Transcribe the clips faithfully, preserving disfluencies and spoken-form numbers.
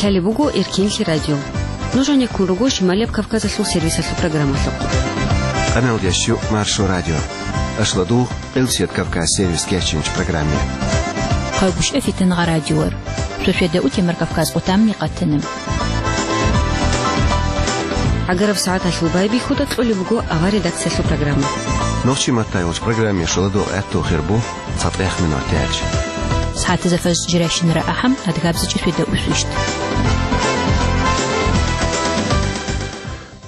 Лъалеб буго Эркенлъи радио. Нуж гьанеккун руго Шималияб Кавказалъул сервисалъул программалъухъ. Къаналдящу Маршо радио. Ашладугъ, Къилсият Кавказ сервис кечинч программе. Хъагушев Фитангъа радиор. Шошведа утемар Кавказ къутамни къатана. ГӀагараб сагӀаталъул байбихьуда кьолеб буго авар редакциялъул программа. Нохчи маттайолч программе шоладугъ гӀатту хирбу. ЦатӀех минут яч. СагӀатазда фаз жиращинара ахӀам, адгабзичӀи фида усвищт.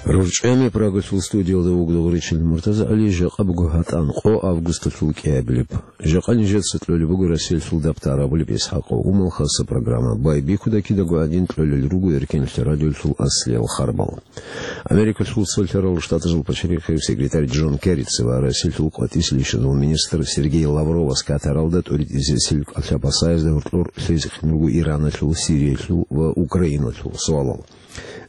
РорчӀами Прагалъул студиялда вуго Гъуричил МуртазагӀали. Жакъа буго гьатӀан къо августалъул кӀиабилеб. Жакъа нижеца кьолеб буго Россиялъул дабтар абулеб ИсхӀакъ Умал хаса программа. Байбихьуда кидаго гӀадин кьолел руго Эркенлъи радиолъул аслиял харбал. Америкалъул Цолъарал Штатазул пачалихъев секретарь Джон Керрица ва Россиялъул къватӀисел ишазул министр Сергей Лавровас Катаралда тӀуритӀизесил кӀалъа-пасаязда гьоркьор лъезехъин руго Ираналъул, Сириялъул ва Украиналъул суалал.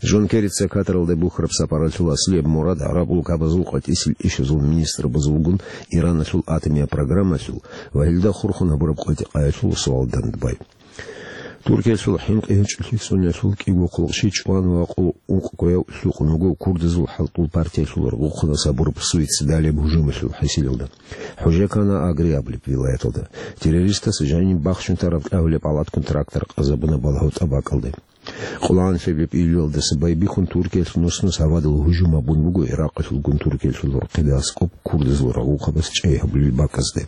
Джон Керрица Катаралда бухьараб сапаралъул аслияб мурад гӀараб улкабазул къватӀисел ишазул министрабазулгун Ираналъул атомияб программалъул ва гьелда хурхун гьабураб къватӀикъаялъул суал дандбай. Туркиялъул хӀинкъи гьечӀолъи цӀуналъул кӀиго хъулухъчи чӀван ва къо-, ункъкӀояв лъукъун вуго курдазул хӀалтӀул партиялъул рагъухъанас гьабураб суицидалияб гьужумалъул хӀисилалда. ХӀужекана Агри абулеб вилаяталда. Террористас жаниб бахчун тараб кьагьулеб палаткун трактор къазабуна балагьутӀа бакӀалде. Къоло гӀанлъабаб июлалдаса байбихьун Туркиялъ нус-нус гьавадал гьужум гьабун буго Иракъалъулгун Туркиялъул рахъида аскӀоб курдазул рагъухъабаз чӀей гьабулел бакӀазде.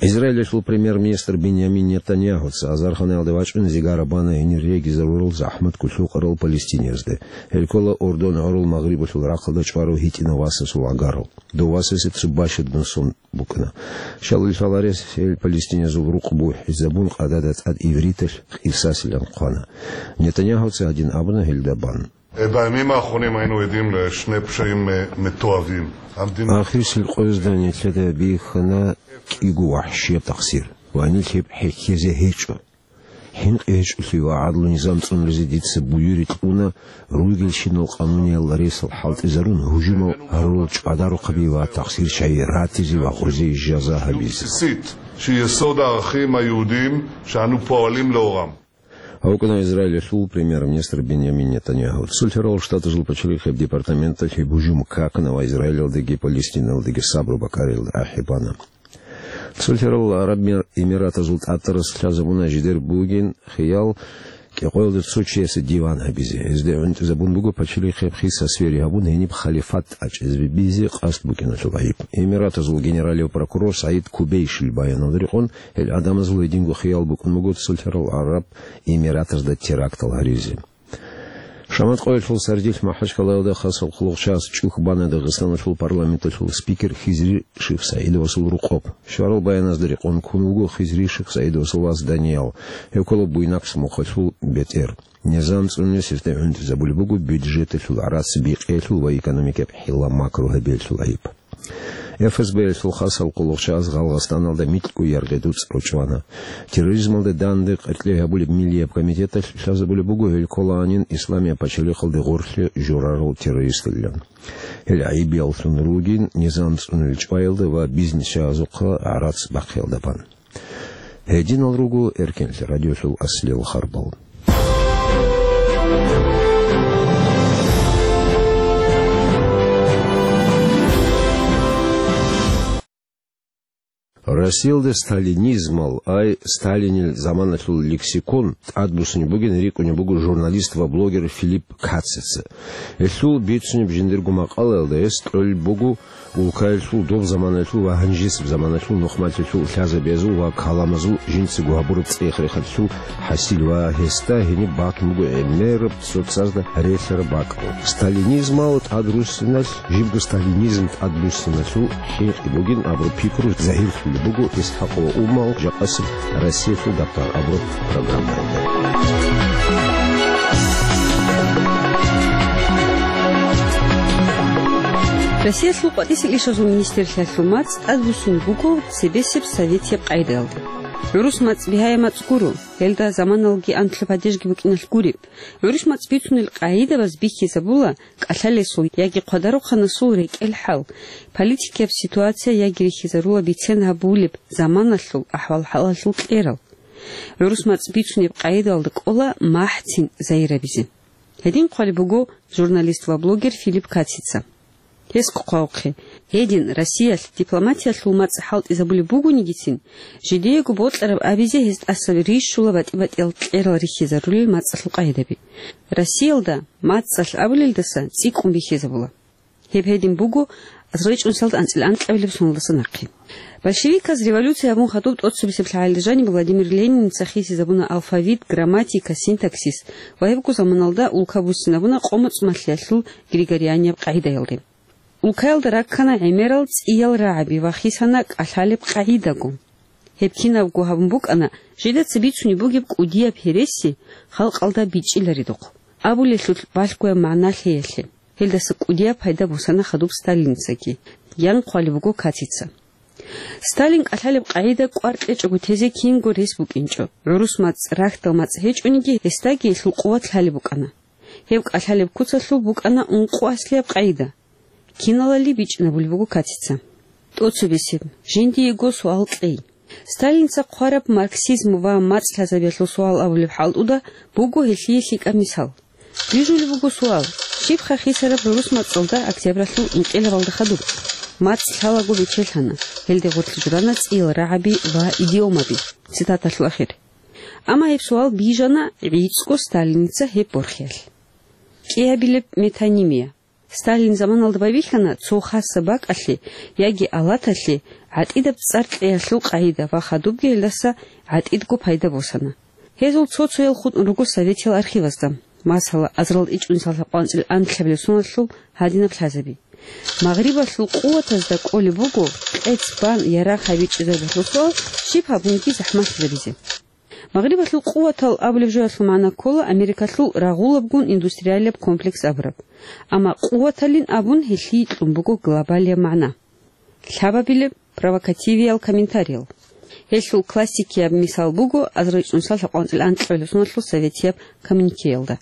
Израилалъул премьер-министр Биньямин Нетаньягьуца азарханаялде вачӀун зигара бана гьенир регизарурал захӀмат кколъукъарал палестиниязде. Гьел ккола Ордон гӀурул Магърибалъул рахъалда чӀварав гьитӀинав васасул гӀагарал. Дов васасе цо бащадаб сон букӀана. Щалил лъаларес гьел палестиниязул рукъ бухӀизабун къадада тӀад ивриталъ къисасилан хъвана. Нетаньягьуца гьадин абуна гьелда бан. בימים האחרונים היינו עדים לשני פשעים, אה, מתועבים. המדינה Ахирсел къоязда нилъеда бихьана кӀиго вахӀшияб такъсир. Ва нилъ гьеб хӀехьезе гьечӀо. ХӀинкъи гьечӀолъи ва гӀадлу низам цӀунаризе дица буюри кьуна ругелщинал къануниял ресал хӀалтӀизарун гьужумал гьарурал чӀвадарухъаби ва такъсирчагӀи ратизе ва гъозие жаза гьабизе. בסיסית, שהיא יסוד הערכים היהודיים שאנו פועלים לאורם. АвкӀана Израилалъул премьер-министр Биньямин Нетаньяху. Цолъарал Штатазул пачалихъеб департаменталъ гьеб гьужум какана ва Израилалдаги Палестиналдаги сабру бакӀариялда ахӀи бана. Цолъарал ГӀараб Мир-, Эмиратазул тӀатӀарас лъазабуна жидер бугин хиял кӀикъоялда цо чиясе диван гьабизе. Гьезда гӀунтӀизабун буго пачалихъеб хиса свери гьабун гьениб халифат тӀачӀезабизе къасд букӀиналъул гӀайиб. Эмиратазул генералив прокурор СагӀид Кубейшил баяналда рекъон, гьел гӀадамазул гьединго хиял букӀун буго Цолъарал ГӀараб Эмиратазда терактал гьаризе. Шамат къоялъул сардилъ МахӀачкъалаялда хасал хъулухъчияс чӀухь бана Дагъистаналъул парламенталъул спикер Хизри Шихсаидовасул рукъоб. Щварал баяназда рекъон ккун вуго Хизри Шихсаидовасул вас Даниял. Гьев ккола Буйнакск мухъалъул бетӀер. Низам цӀунизе гьесда гӀунтӀизабулеб буго бюджеталъул гӀарац бикъиялъул ва экономикаб хӀилла макру гьабиялъул гӀайиб. ФСБ-ялъул хасал хъулухъчияс Гъалгъастаналда микьго яргъи дуцӀ ручӀвана. Терроризмалда данде къеркьей гьабулеб Миллияб комитеталъ лъазабулеб буго гьел кколаанин Исламияб пачалихъалде гъорлъе журарал террористалилан. Гьел гӀайибияллъун ругин низам цӀунулел чӀваялда ва бизнесчагьазухъа гӀарац бахъиялда бан. Гьединал руго Эркенлъи радиолъул аслиял харбал. Россиялда сталинизмал, ай, Сталинил заманалъул лексикон тӀадбуссунеб бугин рикӀкӀунеб буго журналист ва блогер Филипп Кацеца. Гьелъул бицунеб жиндирго макъалаялда гьес кьолеб буго улкаялъул доб заманалъул ва гьанжесеб заманалъул нухмалъулъул лъазабиязул ва каламазул жинцаго гьабураб цӀех-рехалъул хӀасил ва гьесда гьениб батун буго гӀемераб цоцазда релълъараб бакӀал. Сталинизмал тӀадруссиналъ, жибго сталинизм тӀадруссиналъул хӀинкъи бугин абураб пикру загьирлъулеб буго ИсхӀакъ ва Умал жакъасеб Россиялъул дабтар абураб программаялда. Россиялъул къватӀисел ишазул министрлъиялъул мацӀ тӀадбуссун буго цебесеб советияб къагӀидаялда. ГӀурус мацӀ бигьаяб мацӀ гуро, гьелда заманалги анлъаб падежги букӀиналъ гуреб. ГӀурус мацӀ бицунел къагӀидабаз бихьизабула кӀалъалесул яги хъвадарухъанасул рекӀел хӀал, политикияб ситуация яги рихьизарула бицен гьабулеб заманалъул ахӀвал-хӀалалъул кьерал. ГӀурус мацӀ бицунеб къагӀидаялда кӀола махӀцин загьирабизе. Гьедин хъвалеб буго журналист ва блогер Филипп Кацица. Гьес хъвавухъе, гьедин Россиялъ дипломатиялъул мацӀ хӀалтӀизабулеб бугонигицин, жидеего бокьараб абизе гьез тӀаса рищула батӀи-батӀиял кьерал рихьизарулел мацӀалъул къагӀидаби. Россиялда мацӀалъ абулелдаса цӀикӀкӀун бихьизабула. Гьеб гьедин буго азарилчӀунсалда анцӀила анкьабилеб соналдаса нахъе. Большевиказ революция гьабун хадуб тӀоцебесеб лъагӀалда жаниб Владимир Лениница хисизабуна алфавит, грамматика, синтаксис ва гьебго заманалда улка буссинабуна къо-моцӀ малъиялъул григорианияб къагӀидаялде. Улкаялда раккана гӀемерал цӀиял рагӀаби ва хисана кӀалъалеб къагӀидаго. Гьеб кинабго гьабун букӀана, жидеца бицунеб бугеб кӀудияб гьереси халкъалда бичӀчӀиларедухъ. Абулелъулъ балъгояб магӀна лъеялъе. Гьелдаса кӀудияб пайда босана хадуб Сталиницаги, ян хъвалеб буго Кацица. Сталин кӀалъалеб къагӀида кӀвар кьечӀого тезе кинго рес букӀинчӀо. ГӀурус мацӀ, рахьдал мацӀ гьечӀониги, гьесдаги гьелъул къуват лъалеб букӀана. Гьеб кӀалъалеб куцалъул букӀана ункъо аслияб къагӀида. Киналали бичӀчӀинабулеб буго Кацица. ТӀоцебесеб, жиндиего суал кьей. Сталинца хъвараб марксизм ва мацӀ лъазабиялъул суал абулеб хӀалтӀуда буго гьелъие лъикӀаб мисал. Бижулеб буго суал: щибха хисараб гӀурус мацӀалда октябралъул инкъилабалда хадуб? МацӀ лъалаго бечелъана, гьелде гъорлъ журана цӀиял рагӀаби ва идиомаби. Цитаталъул ахир. Амма гьеб суал бижана гӀицӀго Сталиница гьеб борхиялъ. КӀиабилеб метонимия. Сталин заманалда байбихьана цо хасаб бакӀалъе яги алаталъе гӀатӀидаб цӀар кьеялъул къагӀида ва хадубги гьелдаса гӀатӀидго пайда босана. Гьезул цо-цоял хутӀун руго советиял архивазда, масала, азарал ичӀунсал лъабкъоялда анцӀила анкьабилеб соналъул гьадинаб лъазаби. Магърибалъул къуватазда кӀолеб буго къец бан ярагъ гьабичӀезабулеб суал, щиб гьабунги захӀмалъизабизе. Магърибалъул къуватал абулеб жоялъул магӀна ккола Америкалъул рагъулабгун индустриалияб комплекс абураб. Амма къуваталин абун гьелъие кьун буго глобалияб магӀна. Лъабабилеб провокативиял комментариял. Гьелъул классикияб мисал буго азарилчӀунсал лъабкъоялда анцӀила анкьабилеб соналъул советияб коммюникеялда.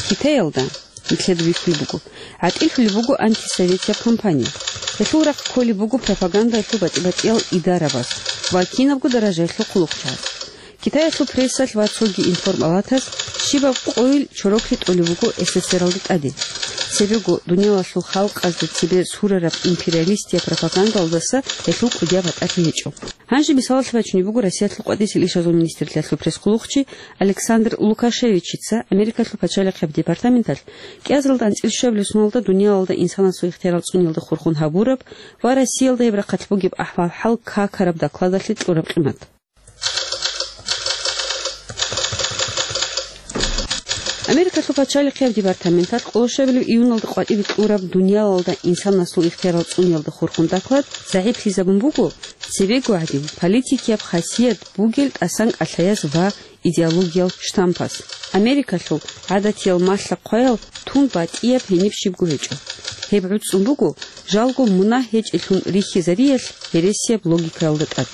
Китаялда, нилъеда бихьулеб буго, гӀатӀилъулеб буго антисоветияб кампания. Гьелъул рахъ кколеб буго пропагандалъул батӀи-батӀиял идарабаз ва кинабго даражаялъул хъулухъчагӀаз. Китаялъул прессалъ ва цоги информалаталъ щибаб къойил чороклъи тӀолеб буго СССРалда тӀаде. Цебего дуниялалъул халкъазда цебе сурараб империалистияб пропагандалдаса гьелъул кӀудияб батӀалъи гьечӀо. Гьанже мисалалъе бачунеб буго Россиялъул къватӀисел ишазул министрлъиялъул пресс-хъулухъчи Александр Лукашевичица Америкалъул пачалихъияб департаменталъ кӀиазаралда анцӀила щуабилеб соналда дуниялалда инсанасул ихтиярал цӀуниялда хурхун гьабураб ва Россиялда гьеб рахъалъ бугеб ахӀвал-хӀал какараб докладалъе кьураб къимат. Америкалъул пачалихъияб департаменталъ къоло щуабилеб июналда къватӀибе кьураб дуниялалда инсанасул ихтиярал цӀуниялда хурхун доклад загӀиплъизабун буго цебего гӀадин политикияб хасият бугел тӀасан кӀалъаяз ва идеологиял штампас. Америкалъул гӀадатиял малъа-хъваял тун батӀияб гьениб щибго гьечӀо. Гьеб гӀуцӀун буго жалго мунагь гьечӀелъун рихьизариялъ гьересияб логикаялда тӀад.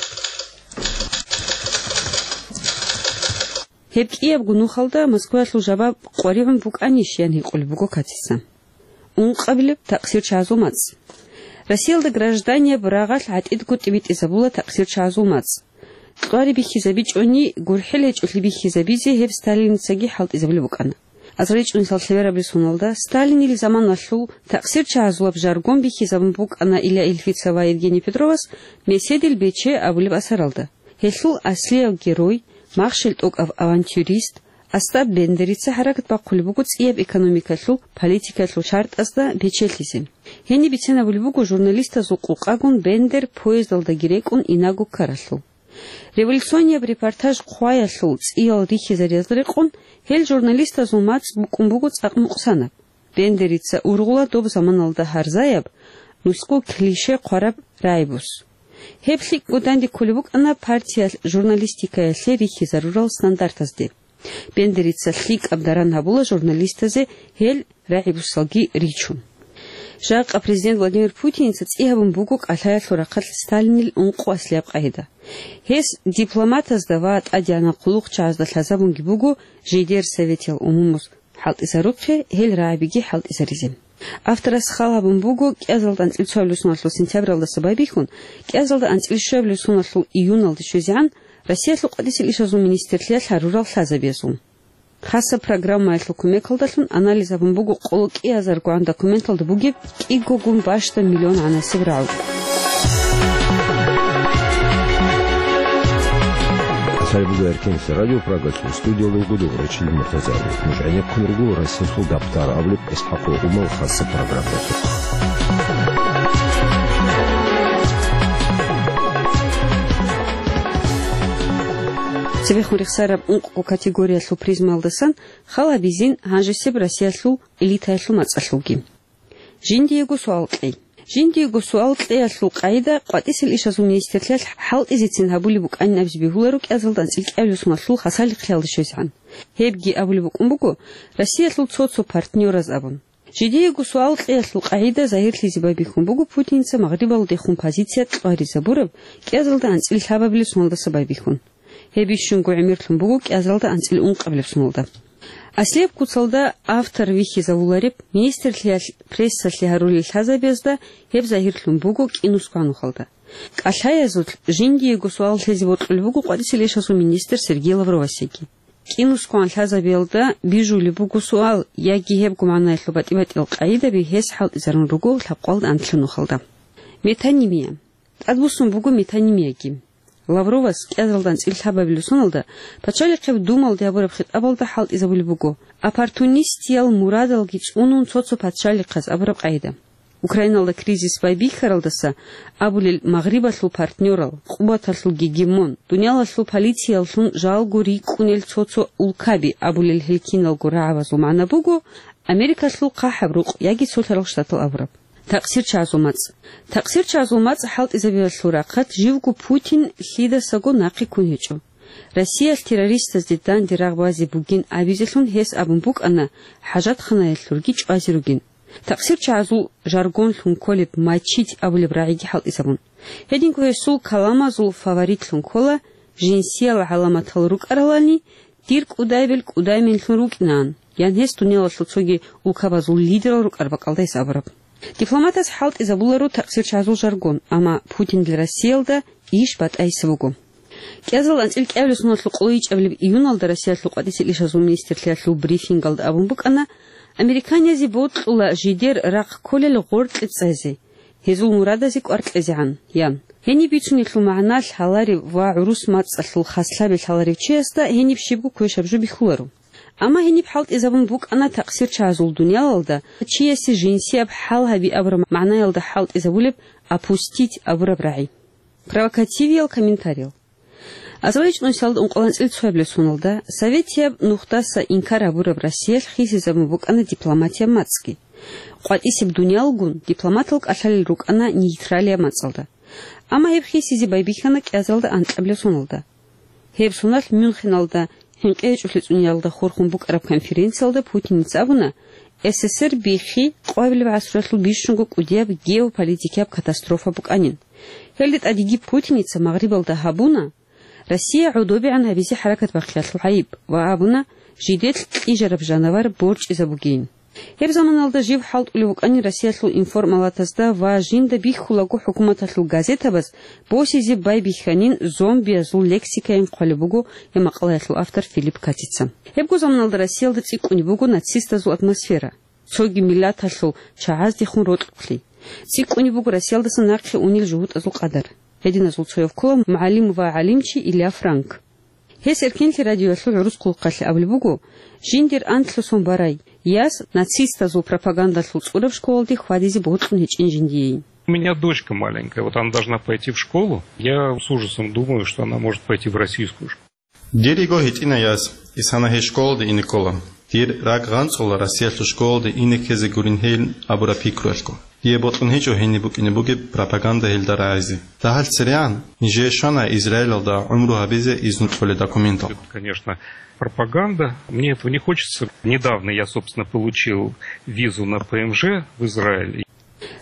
Гьеб кӀиябго нухалда Москваялъул жабаб къваригӀун букӀанищ, ян гьикъулеб буго Кацица. Ункъабилеб такъсирчагӀазул мацӀ. Россиялда гражданияб рагъалъ гӀатӀидго тӀибитӀизабула такъсирчагӀазул мацӀ. Кьвари бихьизабичӀони, гурхӀел гьечӀолъи бихьизабизе гьеб Сталиницаги хӀалтӀизабулеб букӀана. АзарилчӀунсал лъеберабилеб соналда Сталинил заманалъул такъсирчагӀазулаб жаргон бихьизабун букӀана Илья Ильфица ва Евгений Петровас Меседил бече абулеб асаралда. Гьелъул аслияб герой, махщел тӀокӀав авантюрист Остап Бендерица хӀаракат бахъулеб буго цӀияб экономикалъул, политикалъул чартӀазда бечелъизе. Гьениб бицинабулеб буго журналистазул къокъагун Бендер поездалдаги рекӀун инаго ккаралъул. Революционияб репортаж хъваялъул цӀиял рихьизариялда рекъон, гьел журналистазул мацӀ букӀун буго цӀакъ мукъсанаб. Бендерица ургъула доб заманалда гьарзаяб, нусго клише хъвараб рагӀибус. Гьеб лъикӀго данде кколеб букӀана партиялъ журналистикаялъе рихьизарурал стандартазде. Бендерица лъикӀаб даран гьабула журналистазе гьел рагӀибусалги ричун. Жакъа президент Владимир Путиница цӀи гьабун буго кӀалъаялъул рахъалъ Сталинил ункъо аслияб къагӀида. Гьес дипломатазда ва тӀадегӀанал хъулухъчагӀазда лъазабунги буго жидер Советиял умумуз хӀалтӀизарухъе гьел рагӀабиги хӀалтӀизаризе. Авторас хал гьабун буго кӀиазалда анцӀила цоабилеб соналъул сентябралдаса байбихьун, кӀиазалда анцӀила щуабилеб соналъул июналде щвезегӀан Россиялъул къватӀисел ишазул министрлъиялъ гьарурал лъазабиязул. Хасаб программаялъул кумекалдалъун анализ гьабун буго къоло кӀиазаргогӀан документалда бугеб кӀигогун бащдаб миллион гӀанасеб рагӀу. Лъай буго Эркенлъи радио Прагалъул студиялда вуго Добрачил Муртазаев. Нуж гӀенеккун руго Россиялъул дабтар абулеб ИсхӀакъ Умал хасаб программалъухъ. Цебехун рехсараб ункъго категориялъул призмаялдасан хал гьабизин гьанжесеб Россиялъул элитаялъул мацӀалъулги. Жиндиего суал кьей. Жиндиего суал кьеялъул къагӀида къватӀисел ишазул министрлъиялъ хӀалтӀизецин гьабулеб букӀанин абизе бегьуларо кӀиазалда анцӀил кӀиабилеб соналъул хасалихълъиялда щвезегӀан. Гьебги абулеб букӀун буго, Россиялъул цо-цо партнёраз абун. Жиндиего суал кьеялъул къагӀида загьирлъизе байбихьун буго Путиница Магърибалдехун позиция кьваризабураб кӀиазалда анцӀил лъабабилеб соналдаса байбихьун. Гьеб бищунго гӀемерлъун буго кӀиазалда анцӀил ункъабилеб соналда. Аслияб куцалда автор вихьизавулареб, министрлъиялъ прессалъе гьарулел лъазабиязда гьеб загьирлъун буго КӀинусгоан нухалда. КӀалъаязулъ жиндиего суал лъезе бокьулеб буго къватӀисел ишазул министр Сергей Лавровасеги. КӀинусгоан лъазабиялда бижулеб буго суал яги гьебго магӀнаялъул батӀи-батӀиял къагӀидаби гьес хӀалтӀизарун руго лъабкъоялда анлъго нухалда. Метонимия. ТӀадбуссун буго метонимияги. Лавровас кӀиазалда анцӀил лъабабилеб соналда Пачалихъеб Думалде гьабураб хитӀабалда хӀалтӀизабулеб буго, оппортунистиял мурадалги цӀунун цо-цо пачалихъаз абураб къагӀида. Украиналда кризис байбихьаралдаса абулел Магърибалъул партнёрал, къуваталъул гегемон, дуниялалъул полицияллъун жалго рикӀкӀунел цо-цо улкаби абулел гьел киналго рагӀабазул магӀна буго Америкалъул хъахӀаб рукъ яги Цолъарал Штатал абураб. ТакъсирчагӀазул мацӀ. ТакъсирчагӀазул мацӀ хӀалтӀизабиялъул рахъалъ живго Путин лъидасаго нахъе ккун гьечӀо. Россиялъ террористазде данде рагъ базе бугин абизелъун гьес абун букӀана хӀажатханаялъурги чӀвазе ругин. ТакъсирчагӀазул жаргонлъун кколеб мочить абулеб рагӀиги хӀалтӀизабун. Гьединго гьесул каламазул фаворитлъун ккола, жинсиял гӀаламатал рукӀаралани, дир кӀудайбел кӀудайменлъун рукӀинаан, ян гьес дуниялалъул цоги улкабазул лидерал рукӀараб бакӀалда гьес абураб. Дипломатас хӀалтӀизабуларо такъсирчагӀазул жаргон, амма Путинил Россиялда иш батӀайса буго. КӀиазал анцӀил кӀиабилеб соналъул къоло ичӀабилеб июналда Россиялъул къватӀисел ишазул министрлъиялъул брифингалда абун букӀана, американиязде бокьула жидер рахъ кколел гъоркье цӀезе, гьезул мурадазе кӀвар кьезегӀан, ян. Гьениб бицунелъул магӀна лъаларев ва гӀурус мацӀалъул хаслъаби лъаларев чиясда гьениб щибго квешаб жо бихьуларо. Амма гьениб хӀалтӀизабун букӀана такъсирчагӀазул дуниялалда чиясе жинсияб хӀал гьаби абураб магӀнаялда хӀалтӀизабулеб «опустить» абураб рагӀи. Провокативиял комментариял. АзавайчӀун исалда ункъоялда анцӀил цоябилеб соналда советияб нухдаса инкар гьабураб Россиялъ хисизабун букӀана дипломатияб мацӀги. КъватӀисеб дуниялгун дипломатал кӀалъалел рукӀана нейтралияб мацӀалда. Амма гьеб хисизе байбихьана кӀиазалда анкьабилеб соналда. Гьеб соналъ Мюнхеналда хӀинкъи гьечӀолъи цӀуниялда хурхун букӀараб конференциялда Путиница абуна, СССР биххи къоабилеб гӀасруялъул бищунго кӀудияб геополитикияб катастрофа букӀанин. Гьелде тӀадеги Путиница Магърибалда гьабуна, Россия гӀодобегӀан гьабизе хӀаракат бахъиялъул гӀайиб ва абуна, жидер кьижараб жанавар борчӀизабугейин. Гьеб заманалда жив хӀалтӀулев вукӀанин Россиялъул информалатазда ва жинда бихьулаго хӀукуматалъул газетабаз босизе байбихьанин зомбиязул лексикайин хъвалеб буго гьеб макъалаялъул автор Филипп Катица. Гьебго заманалда Россиялда цӀикӀкӀунеб буго нацистазул атмосфера, цоги миллаталъул чагӀаздехун рокьухълъи. ЦӀикӀкӀунеб буго Россиялдаса нахъе унел жугьутӀазул къадар. Гьединазул цояв ккола мугӀалим ва гӀалимчи Илья Франк. Гьес Эркенлъи радиоялъул гӀурус хъулухъалъе абулеб буго, жиндир анлъго сон барай, яс нацистазул пропагандалъул цӀураб школалде хьвадизе бокьун гьечӀин жиндиейин. У меня дочка маленькая, вот она должна пойти в школу. Я с ужасом думаю, что она может пойти в российскую школу. Дир йиго гьитӀина яс, исана гьей школалде ине ккола. Дир ракӀ гъанцӀула Россиялъул школалде ине ккезе гурин гьейин абураб пикруялъго. Дие бокьун гьечӀо гьениб букӀине бугеб пропаганда гьелда рагӀизе. Дагьал церегӀан нижее щвана Израилалда гӀумру гьабизе изну кьолел документал. Это, конечно, пропаганда. Мне этого не хочется. Недавно я, собственно, получил визу на П М Ж в Израиль.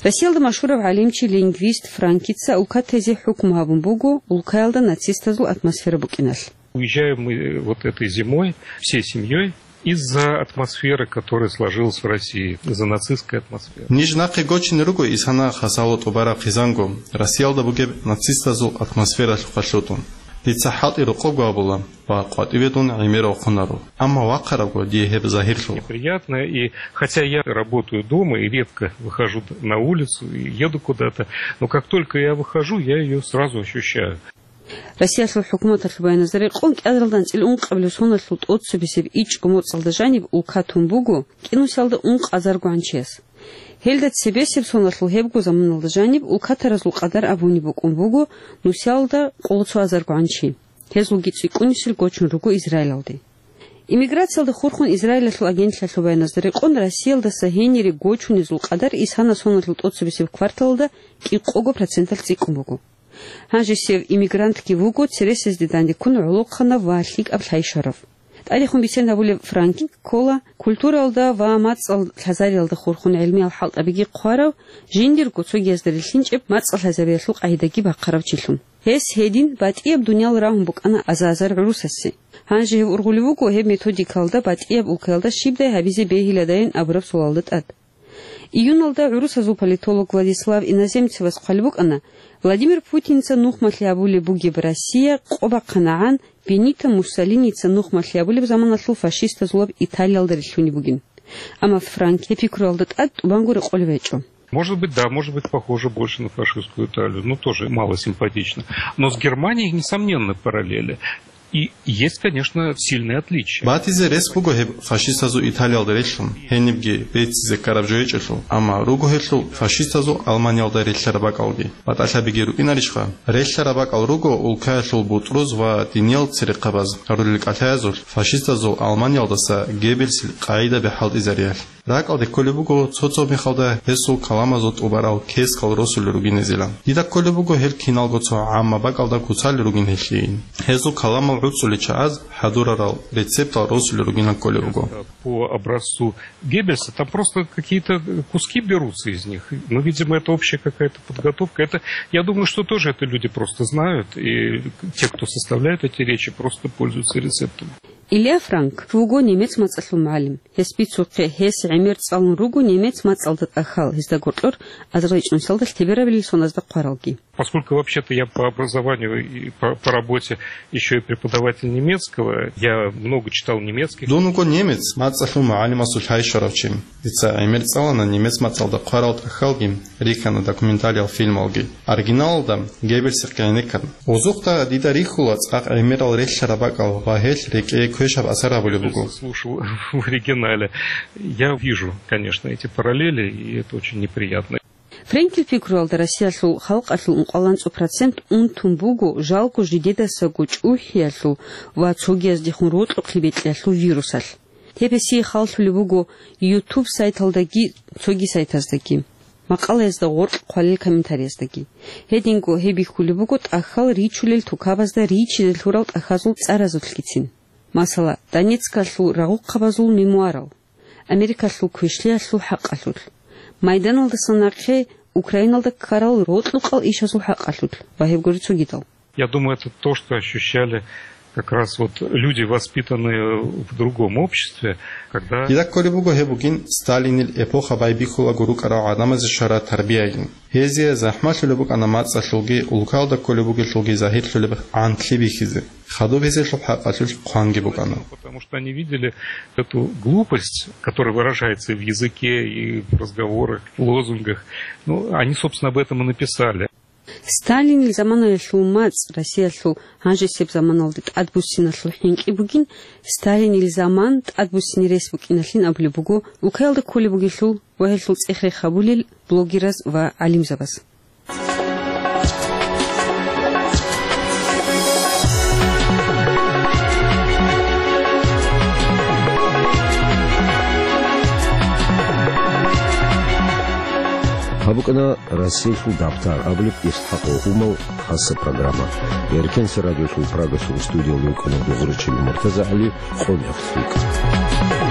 Россиялда машгьурав гӀалимчи, лингвист Франкица улкатезе хӀукму гьабун буго улкаялда нацистазул атмосфера букӀиналъ. Уезжаем мы, э, вот этой зимой всей семьей из-за атмосферы, которая сложилась в России, из-за нацистской атмосферы. Ниж нахъе гочине руго исана хасало тӀубараб хъизанго, Россиялда бугеб нацистазул атмосфералъухъа лъутун. Дица хӀалтӀи рокъобго абула ва къватӀиве дун гӀемер вахъунаро. Амма вахъарабго дие гьеб загьирлъула. Неприятно, и хотя я работаю дома и редко выхожу на улицу, и еду куда-то, но как только я выхожу, я её сразу ощущаю. Россиялъул хӀукуматалъул баяназда рекъон, кӀиазаралда анцӀила ункъабилеб соналъул тӀоцебесеб ичӀго моцӀалда жаниб улка тун буго кӀинусиялда ункъазарго гӀанчияс. Гьелда цебесеб соналъул гьебго заманалда жаниб улкатаразул къадар абунеб букӀун буго нусиялда къоло цо азарго гӀанчи. Гьезулги цӀикӀкӀунисел гочун руго Израилалде. Иммиграциялда хурхун Израилалъул агентлъиялъул баяназда рекъон, Россиялдаса гьенире гочунезул къадар исана соналъул тӀоцебесеб кварталалда кӀикъого проценталъ цӀикӀкӀун буго. Гьанжесев иммигрантги вуго цересезде дандеккун гӀолохъанав ва лъикӀаб лъайщарав. ТӀадехун бицен гьабулеб Франкин ккола культуралда ва мацӀал лъазариялда хурхун гӀелмиял хӀалтӀабиги хъварав, жиндирго цогиязда рилълъинчӀеб мацӀал лъазабиялъул къагӀидаги бахъарав чилъун. Гьес гьедин батӀияб дуниял рагьун букӀана аза-азар гӀурусасе. Гьанже гьев ургъулев вуго гьеб методикалда батӀияб улкаялда щибдай гьабизе бегьиладайин абураб суалалда тӀад. Июналда гӀурусазул политолог Владислав Иноземцевас хъвалеб букӀана, Владимир Путинца нухмалъи гьабулеб бугеб Россия къо бахъанагӀан Бенито Муссолиница нухмалъи гьабулеб заманалъул фашистазулаб Италиялда рилълъунеб бугин. Амма Франк гьеб пикруялда тӀад тӀубанго рекъолеб гьечӀо. Может быть, да, может быть, похоже больше на фашистскую Италию, но тоже мало симпатично. Но с Германией, несомненно, параллели. И есть, конечно, сильные отличия. Батизе рес буго гьеб фашистазул Италиялда релълъун, гьенибги беццизе ккараб жо гьечӀелъул, амма руго гьелъул фашистазул Алманиялда релълъараб бакӀалги. БатӀалъабиги рукӀинарищха? Релълъараб бакӀал руго улкаялъул бутӀруз ва диниял церехъабаз гьарулел кӀалъаязулъ фашистазул Алманиялдаса Геббельсил къагӀидаби хӀалтӀизариялъ. РакӀалде кколеб буго цо-цо мехалда гьесул каламазул тӀубарал кескал росулел ругин гьезила. Дида кколеб буго гьел киналго цо гӀамма бакӀалда куцалел ругин гьелъие. Гьезул каламал гӀуцӀулел чагӀаз хӀадурарал рецептал росулел ругин кколеб буго. По образцу Геббельса, там просто какие-то куски берутся из них. Ну, видимо, это общая какая-то подготовка. Это, я думаю, что тоже это люди просто знают, и те, кто составляет эти речи, просто пользуются рецептом. Илья Франк вуго немец мацӀалъул мугӀалим. Гьес бицухъе, гьес гӀемер цӀалун руго немец мацӀалда тӀахьал, гьезда гьоркьор азарилчӀунсалда лъеберабилел соназда хъваралги. Поскольку вообще-то я по образованию и по, по работе ещё и преподаватель немецкого, я много читал немецких. Дун вуго немец мацӀалъул мугӀалимасул лъай щварав чи. Дица гӀемер цӀалана немец мацӀалда хъварал тӀахьалги, рихьана документалиал фильмалги. Оригиналалда Геббельсихъе гӀенеккан. Гъозухъа дида рихьула цӀакъ гӀемерал релълъараб бакӀал ва гьелъ рекӀее квешаб асар гьабулеб буго. Слушал в оригинале. Я вижу, конечно, эти параллели, и это очень неприятно. Франкил пикруялда Россиялъул халкъалъул ункъоялда цо процент унтун буго жалго жидедасаго чӀухӀиялъул ва цогияздехун рокьухълъи бекьиялъул вирусалъ. Гьеб гьесие халлъулеб буго YouTube сайталдаги цоги сайтаздаги, макъалаязда гъоркь хъвалел комментарияздаги. Гьединго гьеб бихьулеб буго тӀахьал ричулел тукабазда ричизе лъурал тӀахьазул цӀаразулъгицин. Масала, Донецкалъул рагъухъабазул мемуарал, Америкалъул квешлъиялъул хӀакъалъулъ, Майданалдаса нахъе Украиналда ккарал рокьукъал ишазул хӀакъалъулъ ва гьеб гури цогидал. Я думаю, это то, что ощущали как раз вот люди, воспитанные в другом обществе, когда... Дида кколеб буго гьеб бугин Сталинил эпоха байбихьулаго рукӀарал гӀадамазе щвараб тарбиягин. Гьезие захӀмалъулеб букӀана мацӀалъулги, улкалда кколеб бугелъулги загьирлъулеб гӀантлъи бихьизе. Хадуб гьезелъул хӀакъалъулъ хъванги букӀана. Потому что они видели эту глупость, которая выражается и в языке, и в разговорах, в лозунгах. Ну, они, собственно, об этом и написали. Сталинил заманаялъул мацӀ Россиялъул гьанжесеб заманалде тӀадбуссиналъул хӀинкъи бугин, Сталинил заман тӀадбуссине рес букӀиналъин абулеб буго улкаялда кколеб бугелъул ва гьелъул цӀех-рех гьабулел блогераз ва гӀалимзабаз. Гьаб букӀана Россиялъул дабтар абулеб ИсхӀакъ Ухумал хаса программа. Эркенса радиолъул Прагалъул студиялда вукӀана дугӀурчи Муртаза ГӀали, къо-,